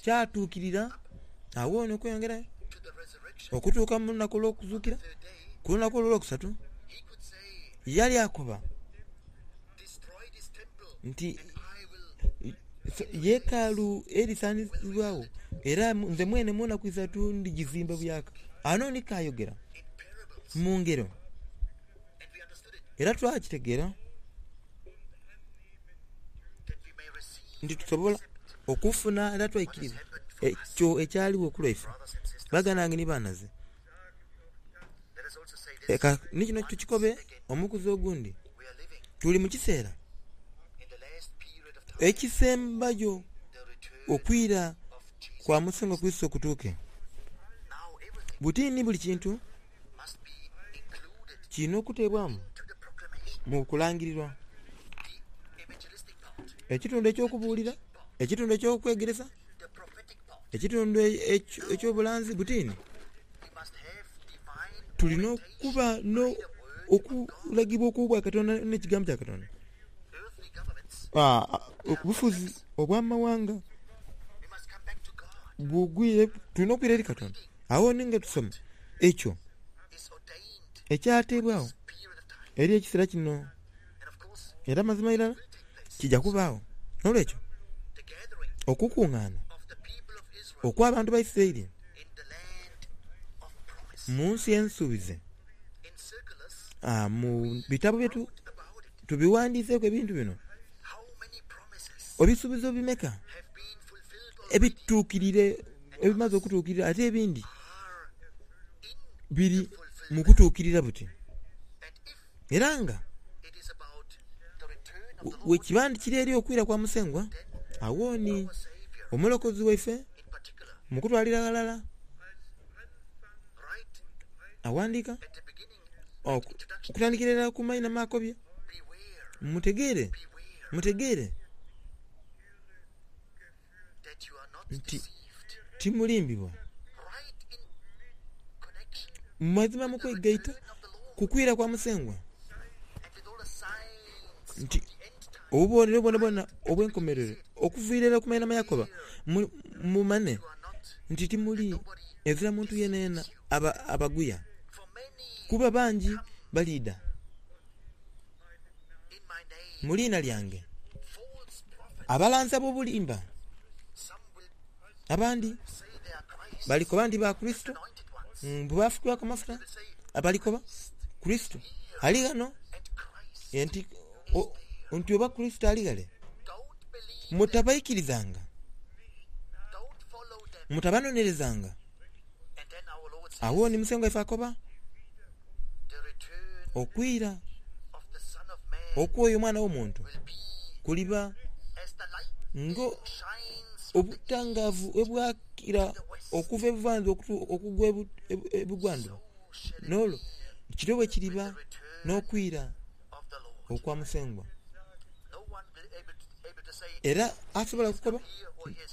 kyatuukirira. Agho ni okweyongerayo okutuuka mu lunaku olw'okuzuukira, ku lunaku olwo olwokusatu, yali akoba nti, Yeekaalu erisaanizibwagho, era nze mwene mu naku isatu ndigizimba buyaaka. Ghano ni kaayogera mu ngero, era twakitegeera nti tusobola okufuna era twaikiriza ekyo ekyaligho ku lwaife. Baganda bange ni banhaze, leka ni kino tukikobe omukuzi ogundi, tuli mu kiseera ekisembayo okwira kwa Musengwa Kurisito kutuuke. Buti ni buli kintu kirina okuteebwamu mu kulangirirwa. Ekitundu eky'okubuulira, ekitundu eky'okwegeresa, ekitundu eky'obulanzi butini tulina okuba n'okulagibwa okw'Obwakatonda n'Ekigambo kya Katonda. Obufuzi obw'amawanga bugwire, tulina okwira eri Katonda. Agho ni nga tusoma ekyo ekyateebwagho eri ekiseera kino, era mazima irala kija kubaagho. N'olwekyo, okukungaana okw'abantu ba Isiraeli mu nsi ensuubize, mu bitabo bye tubiwandiiseeku ebintu bino, ebisuubizo bimeka ebituukiriire ebimaze okutuukirira ate ebindi biri mu kutuukirira buti. Era nga bwekiba nti kiri eri okwira kwa Musengwa, agho ni Omulokozi waife mu kutwalira ghalala aghandiika okutandikira irala ku maina m'akobye, Mutegeere, mutegeere nti timulimbibwa. Mu mazima mu kwegaita ku kwira kwa Musengwa, nti obubonero bwonabwona obw'enkomerero okuviira irala ku mainhama Yakoba, mumanhe nti timuli ezira muntu yenayena abaguya, kuba bangi baliidha mu liina lyange, abalanzi ab'obulimba. Abandi balikoba nti ba Kurisito, mbu baafukibwaku amafuta. Balikoba, Kurisito ali ghano, nti oba Kurisito ali ghale. Mutabaikirizanga, mutabanonerezanga. Agho ni Musengwa waife akoba, Okwira okw'oyo Omwana w'Omuntu kuliba ng'obutangaavu bwe bwakira okuva ebuvandhuba okugwa ebugwandhuba, n'olwo kityo bwe kiriba n'okwira okwa Musengwa. Era asobola okukoba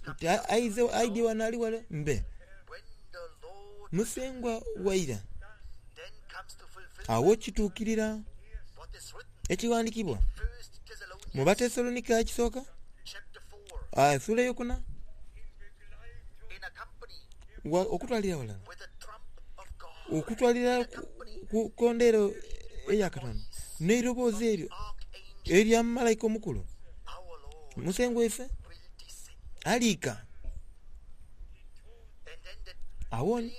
nti aize aidhie ghano ali ghale mbe. Musengwa waira. Agho kituukirira ekighandikibwa mu Batesalonika ekisooka esuula eyokuna okutwalira aghalala okutwalira ku kondero eya Katonda n'eiroboozi eryo erya malaika omukulu, Musengwa waife aliika. Agho ni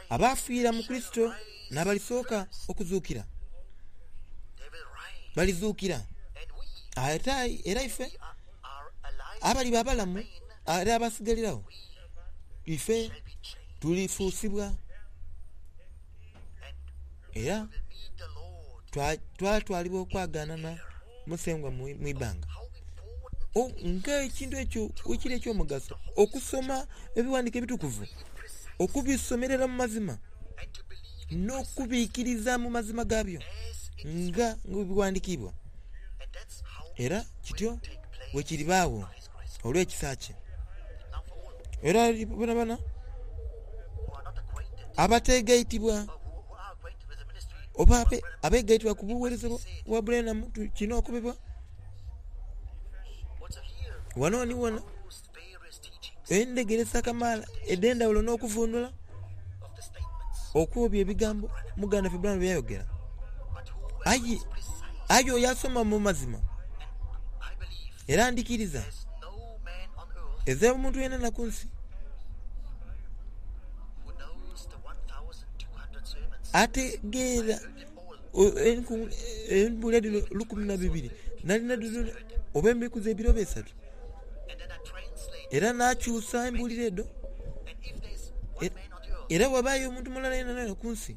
abaafiira mu Kurisito n'abalisooka okuzuukira. Balizuukira. Ate era ife abaliba abalamu era abasigaliragho, ife tulifuusibwa era twatwalibwa okwagaanana Musengwa mu ibbanga. Nga ekintu ekyo bwekiri eky'omugaso okusoma Ebiwandiiko Ebitukuvu, okubisomerera mu mazima, n'okubiikiriza mu mazima gaabyo nga bwe biwandiikiibwa. Era kityo bwe kiribaagho olw'ekisa kye. Era bonabona abateegaitibwa oba abeegaitibwa ku bugheereza bwa Branham kino okobebwa ghano ni ghano endhegeresa kamaala edh'endhaghulo n'okuvuunula okw'ebyo ebigambo muganda waffe Branham bye yayogera. Aye, aye oyo asoma mu mazima, era ndhikiriza ezira muntu yenayena ku nsi ategeera embuulira dhino 1200 nalina dhino oba emikuzi ebiri oba esatu, era naakyusa embuulira edho. Era bwebaayo omuntu mulala yenayena ku nsi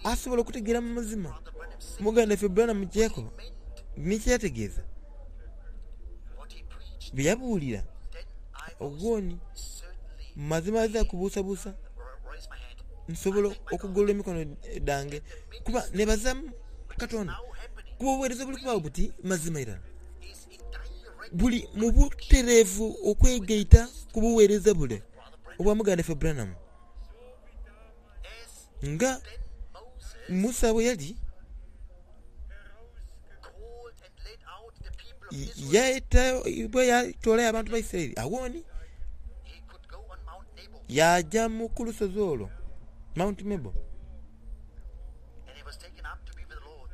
asobola okutegeera mu mazima muganda waife Branham kye yakoba ni kye yategeeza, bye yabuulira, ogwo ni mazima aghazira kubuusabuusa nsobola okugolola emikono dhange kuba nebaza Katonda kuba obuweereza obuli kubaagho buti mazima irala buli mu butereevu okwegaita ku buweereza bule obwa muganda waife Branham. Nga Musa bwe yali, yaeta bwe yatoolayo abantu ba Isiraeli, agho ni yaaja mu ku lusozi olwo Mount Nebo,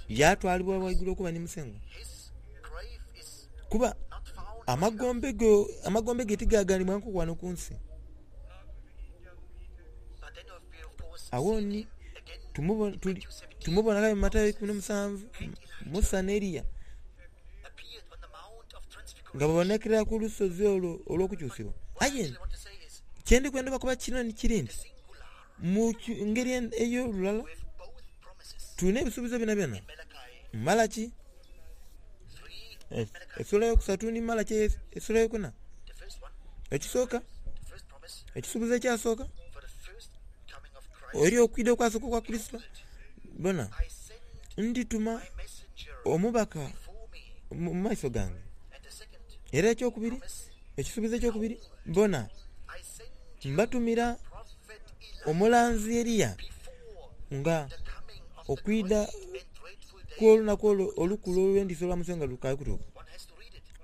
yaatwalibwa ghaigulu okuba ni Musengwa. Kuba amagombe ge amagombe ge tigaagaanibwangaku ghano ku nsi. Agho ni tumubona aye mu Matayo eikumi n'omusanvu, Musa n'Eliya nga babonekera ku lusozi olwo olw'okukyusibwa. Aye kye ndi kwenda obakoba kino ni kiri nti, mu ngeri ey'olulala tulina ebisuubizo byonabyona mu Malaki esula eyokusatu ni Malaki esula eyokuna. Ekisooka, ekisuubizo ekyasooka eri okwidha okwasooka okwa Kurisito, bona, ndituma omubaka mu maiso gange. Era ekyokubiri, ekisuubizo ekyokubiri, bona, mbatumira omulanzi Eliya nga okwidha kw'olunaku olwo olukulu olw'entiisa olwa Musengwa lukaali kutuuka.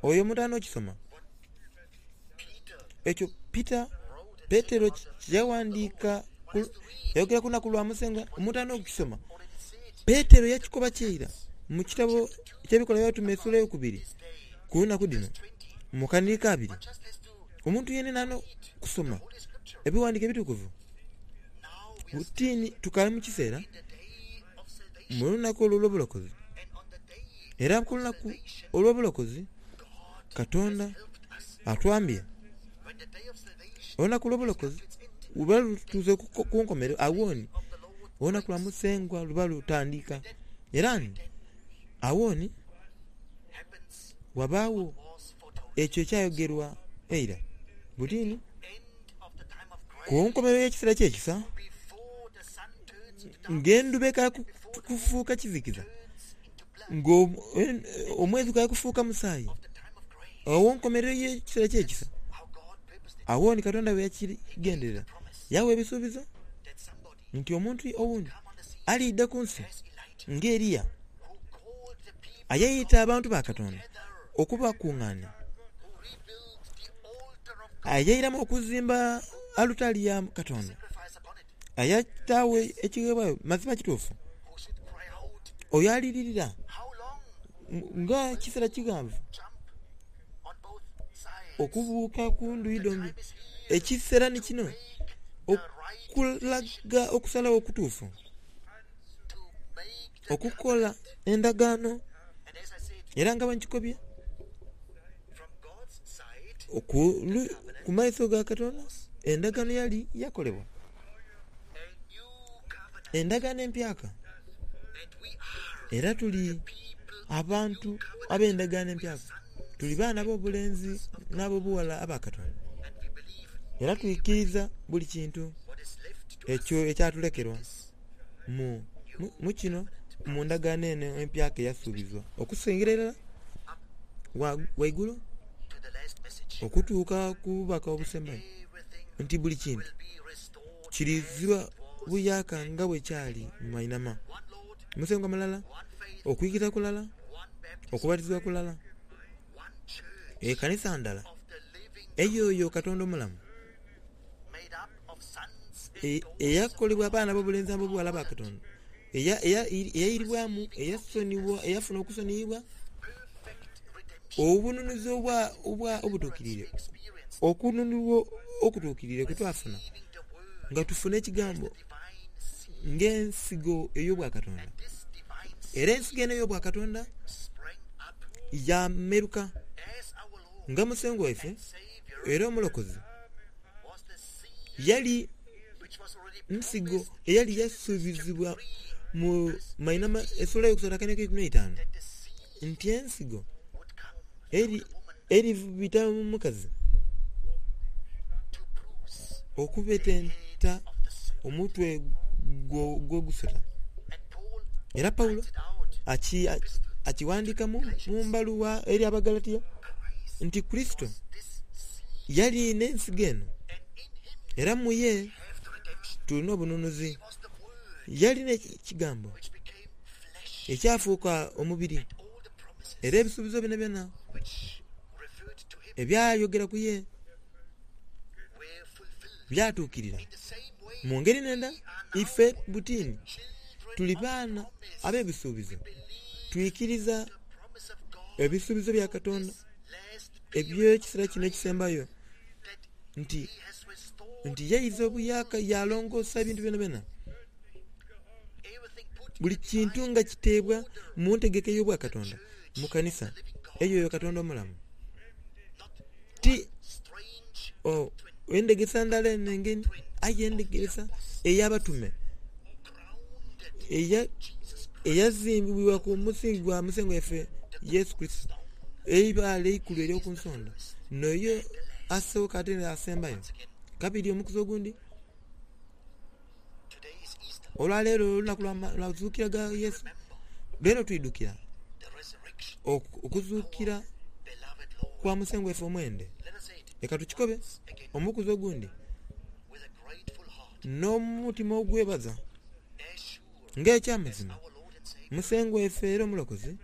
Oyo omuntu alina okisoma. Ekyo Peter, Petero kye yawandiika yayogera ku lunaku lwa Musengwa, omuntu alina okukisoma. Petero yakikoba kye ira mu kitabo ky'Ebikolwa by'Abatume esula eyokubiri ku lunaku dhino mu kanhiriri ka abiri. Omuntu yenayena alina okusoma Ebiwandiiko Ebitukuvu. Buti ni tukaali mu kiseera mu lunaku olwo olw'obulokozi, era ku lunaku olw'obulokozi Katonda atwambye. Olunaku olw'obulokozi bwe luba lutuuse ku nkomerero, agho ni olunaku lwa Musengwa luba lutandika. Era ni agho ni wabaagho ekyo ekyayogerwa eira. Buti ni ku nkomerero y'ekiseera ky'ekisa, ng'endhuba ekaali kufuuka kizikiza, ng'omwezi gukaali kufuuka musaayi, agho nkomerero y'ekiseera ky'ekisa, agho ni Katonda bwe yakigenderera. Yaagha ebisuubizo nti omuntu owundi aliidha ku nsi nga Eliya, eyaita abantu ba Katonda okubakungaania, eyairamu okuzimba alutaari ya Katonda, eyataagho ekigheebwayo. Mazima kituufu. Oyo aliririra nga ekiseera kighanvu okubuuka ku ndhuyi dhombi. Ekiseera ni kino okulaga okusalagho okutuufu, okukola endagaano. Era nga bwe nkikobye, ku maiso ga Katonda endagaano yali yakolebwa, endagaano empyaka. Era tuli abantu ab'endagaano empyaka. Tuli baana ab'obulenzi n'ab'obughala aba Katonda. Era twikiriza buli kintu ekyo ekyatulekerwa mu kino, mu ndagaano eno empyaka eyasuubizibwa okusingira irala ghaigulu okutuuka ku bubaka obusembayo nti buli kintu kirizibwa buyaaka nga bwe kyali mu mainhama. Musengwa mulala, okwikiriza kulala, okubatizibwa kulala, ekanisa ndala ey'oyo Katonda omulamu, eyakolebwa abaana ab'obulenzi n'ab'obughala aba Katonda, eyairibwamu, eyafuna okusoniyibwa, obununuzi obutuukiriire, okununulwa okutuukiriire kwe twafuna nga tufuna Ekigambo ng'ensigo ey'Obwakatonda. Era ensigo eno ey'Obwakatonda yaameruka nga Musengwa waife era Omulokozi yali nsigo eyali yasuubizibwa mu mainhama esula eyokusatu akainhonhi keikumi n'eitaanu nti ensigo eribita mu mukazi okubetenta omutwe gw'ogusota. Era Paulo akighandika mu mbaluwa eri Abagalatia nti Kurisito yali n'ensigo eno era mu ye tulina obununuzi. Yali n'Ekigambo ekyafuuka omubiri, era ebisuubizo byonabyona ebyayogera ku ye byatuukirira. Mu ngeri n'endala, ife butini tuli baana ab'ebisuubizo. Twikiriza ebisuubizo bya Katonda eby'ekiseera kino ekisembayo nti nti yaiza obuyaaka yaalongoosa ebintu byonabyona. Buli kintu nga kiteebwa mu ntegeka ey'Obwakatonda mu kanisa ey'oyo Katonda omulamu. Ti oh, endhegeresa ndala eno engeni, aye endhegeresa ey'abatume eyazimbibwa ku musingi gwa Musengwa waife Yesu Kurisito, eibaale eikulu ery'oku nsonda, n'oyo asooka ate n'asembayo. Kabiri omukuzi ogundi, olwaleero olunaku lwa kuzuukira gha Yesu, leero twidhukira okuzuukira kwa Musengwa waife omwende. Leka tukikobe omukuzi ogundi n'omutima ogwebaza. Ng'eky'amazima, Musengwa waife era Omulokozi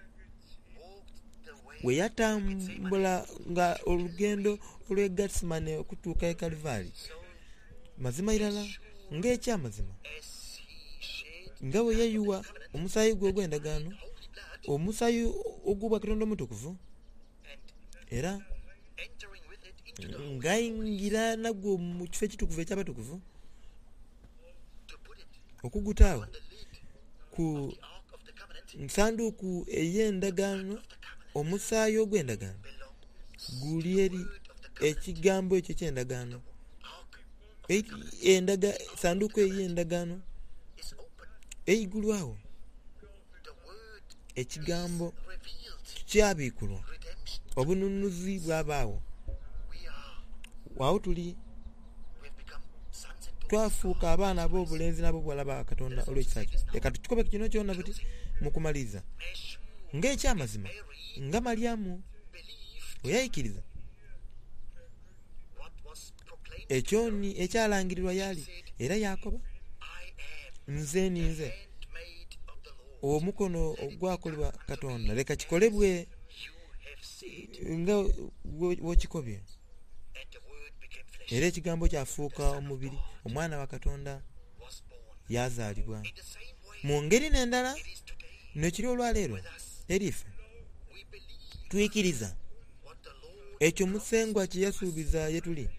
bwe yatambula nga olugendo olw'e Gethsemane okutuuka e Kalivari, mazima irala ng'eky'amazima, nga bwe yayugha omusaayi gwe ogw'endagaano, omusaayi ogw'Obwakatonda Omutukuvu, era ng'aingira nagwo mu kifo ekitukuvu eky'abatukuvu, okugutaagho ku sanduuku ey'endagaano, omusaayi ogw'endagaano guli eri ekigambo ekyo eky'endagaano. Sanduuku ey'endagaano eigulwagho, ekigambo kyabikulwa, obununuzi bwabaagho. Agho tuli twafuuka abaana ab'obulenzi n'ab'obughala ba Katonda olw'ekisa kye. Leka tukikobe kino kyona buti mu kumaliriza, ng'eky'amazima, nga Malyamu bwe yaikiriza ekyo ni ekyalangirirwa y'ali, era yaakoba, Nze ninze omukono ogwakolebwa Katonda, leka kikolebwe nga bw'okikobye. Era Ekigambo kyafuuka omubiri, Omwana wa Katonda yaazaalibwa. Mu ngeri n'endala, N'ekiri olwaleero eri ife, twikiriza ekyo Musengwa kye yasuubiza ye tuli.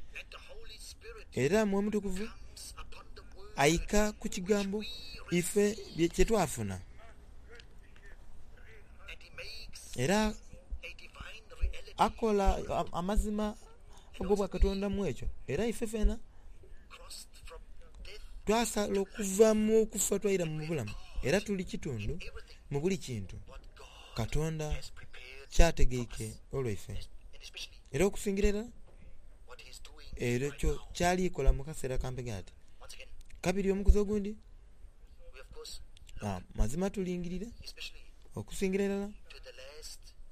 Era Mwoyo Mutukuvu aika ku Kigambo ife kye twafuna. Era akola amazima ag'Obwakatonda mu ekyo. Era ife fena twasala okuva mu kufa twaira mu bulamu, era tuli kitundu mu buli kintu Katonda ky'ategeike olwaife. Era okusingira irala ekyo ky'ali kola mu kaseera kampi ati. Kabiri omukuzi ogundi, mazima tulingirire okusingira irala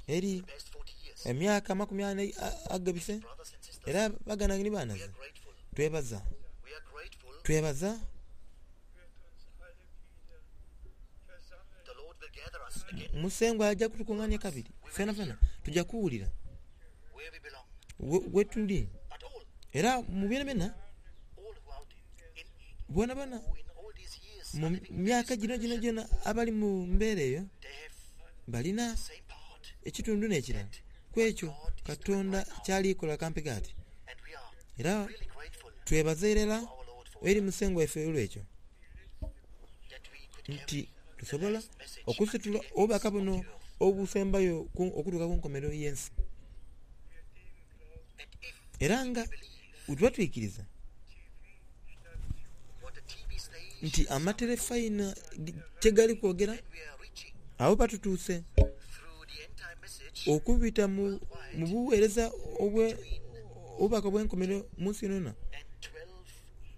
eri emyaka 40 agabise, era baganda ni banaze, twebaza. Twebaza. Musengwa aja kutukungania kabiri fenafena tuja kuwulira wetuli. Era mu byonabyona boonaboona mu myaka gino gyonagyona abali mu mbeera eyo balina ekitundu n'ekirala ku ekyo Katonda ky'ali kola kampi ati. Era twebaza irala eri Musengwa waife olw'ekyo nti tusobola okusitula obubaka buno obusembayo okutuuka ku nkomerero y'ensi. Era nga bwetuba twikiriza nti amaterefayina kye gali kwogera, agho batutuuse okubita mu bugheereza obubaka obw'enkomerero mu nsi yonayona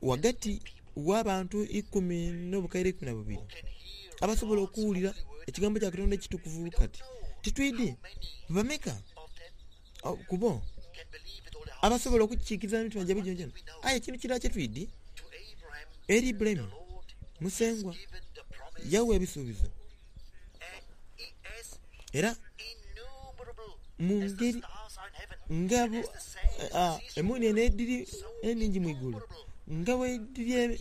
ghagati w'abantu 10,012 abasobola okuwulira ekigambo kya Katonda ekitukuvu kati. Titwidhi bameka ku bo abasobola okukiikiriza n'emitima gyaibwe gyonagyona. Aye ekintu kirala kye twidhi, eri Ibulayimu Musengwa yagha ebisuubizo, era mu ngeri nga emuunienhe edhiri enhingi mu igulu, nga bwedhiri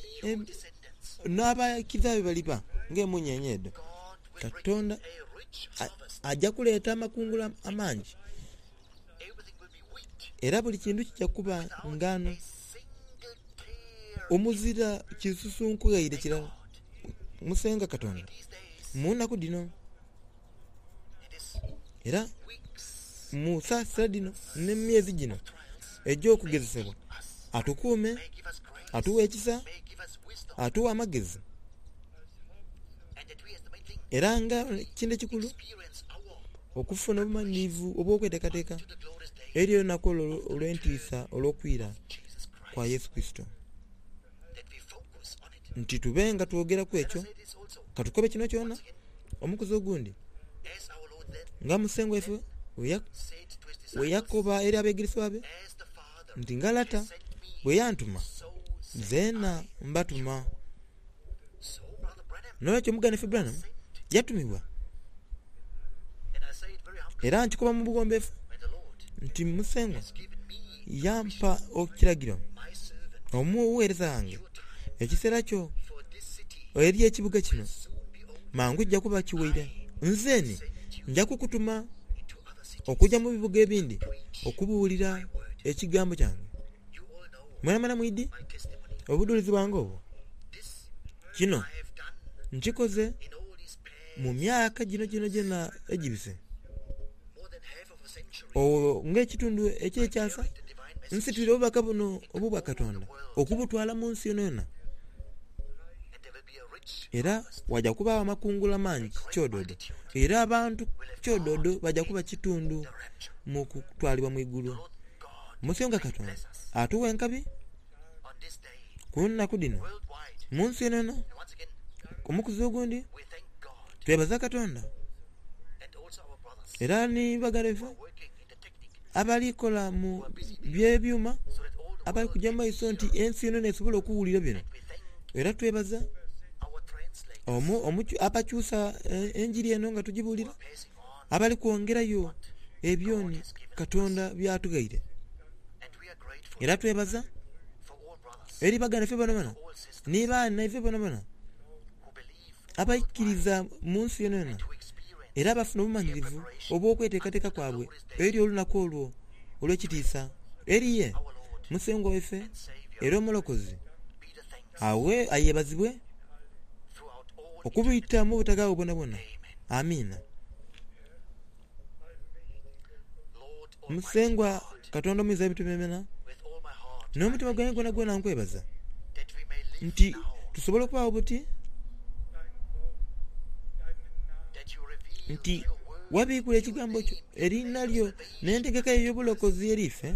n'abaikiriza be baliba ng'emuunienhe edho. Katonda aja kuleeta amakungula amangi, era buli kintu kija kuba ngaano omuzira kisusunku ghaire kirala. Musengwa Katonda, mu naku dhino era mu saasira dhino ni mu myezi gino egy'okugezesebwa, atukuume, atuwe ekisa, atuwe amagezi. Era nga ekintu ekikulu, okufuna obumanhirivu obw'okweteekateeka eri olunaku olwo olw'entiisa olw'okwira kwa Yesu Kurisito. Nti tube nga twogera ku ekyo, ka tukobe kino kyona omukuzi ogundi, nga Musengwa waife bwe yakoba eri abeegeresebwa be nti, Nga Lata bwe yantuma, zeena mbatuma. N'olwekyo muganda waife Branham yatumibwa, era nkikoba mu bughombefu nti Musengwa yampa ekiragiro, omugheereza ghange, ekiseera kyo eri ekibuga kino mangu kija kuba kiwaire. Nze ni nja kukutuma okuja mu bibuga ebindi okubuulira ekigambo kyange. Mwenamwena mwidhi obudhulizi bwange obwo. Kino nkikoze mu myaka gino gyonagyona egibise, ng'ekitundu eky'ekyasa nsitwire obubaka buno obw'Obwakatonda okubutwala mu nsi yonayona. Era waja kubaagho amakungula mangi kyododo, era abantu kyododo baja kuba kitundu mu kutwalibwa mu igulu. Musengwa Katonda atughe enkabi ku nnaku dhino mu nsi yonayona. Omukuzi ogundi twebaza Katonda era ni baganda baife abali kola mu by'ebyuma abali kuja mu maiso nti ensi yonayona esobole okuwulira bino. Era twebaza abakyusa enjiri eno nga tugibuulira, abali kwongerayo ebyoni Katonda by'atughaire. Era twebaza eri baganda baife boonaboona ni baana ife boonaboona. Abaikiriza mu nsi yonayona era abafuna obumanyirivu obw'okweteekateeka kwabwe eri olunaku olwo olw'ekitiisa eri ye Musengwa waife era Omulokozi. Agho ayebazibwe okubita mu butaghaagho bwonabwona. Amiina. Musengwa Katonda Omuyinza w'ebintu byonabyona, n'omutima gwange gwonagwona nkwebaza nti tusobola okubaagho buti, nti wabiikula Ekigambo kyo, eriina lyo n'entegeka yo ey'obulokozi eri ife,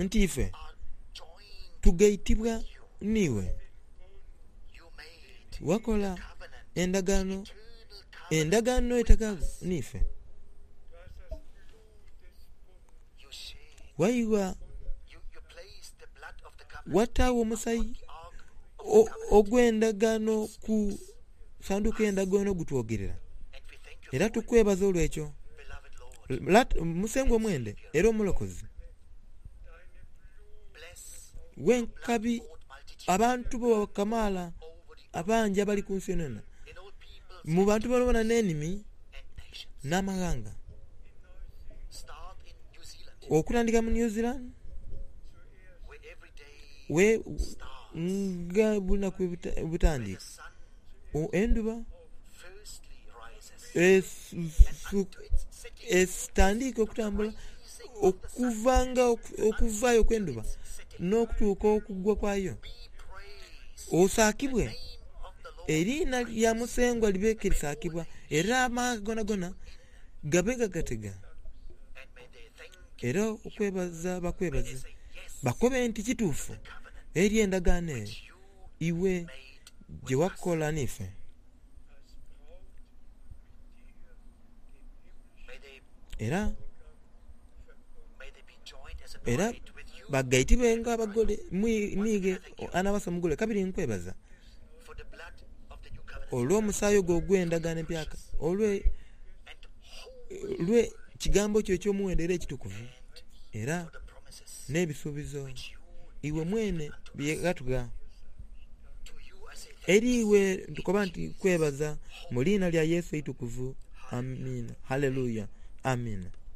nti ife tugaitibwa n'iwe. Wakola endagaano, endagaano etaghaagho n'ife. Waigha wataagho omusaayi ogw'endagaano ku sanduuku y'endagaano gutwogerera, era tukwebaza olw'ekyo. Musengwa omwende era Omulokozi w'enkabi abantu bo kamaala abangi abali ku nsi yonayona, mu bantu boonaboona n'enimi n'amaghanga. Okutandika mu New Zealand we nga buli lunaku bwebutandika, endhuba etandiika okutambula okuva nga okuvaayo okw'endhuba n'okutuuka okugwa kwayo. Osaakibwe eriina lya Musengwa libe ke lisaakibwa, era amaghanga gonagona gabe gagatega. Era okwebaza bakwebaze, bakobe nti kituufu eri endagaano eyo iwe gye wakola n'ife. Era era bagaitibwe ng'abagole n'ighe anaawasa omugole. Kabiri nkwebaza olw'omusaayi ogwo ogw'endagaano empyaka, olwe kigambo kyo eky'omuwendo era ekitukuvu, era n'ebisuubizo iwe mwene bye ghatugha. Eri iwe ntukoba nti nkwebaza mu liina lya Yesu eitukuvu. Amiina. Haleluya. Amiina.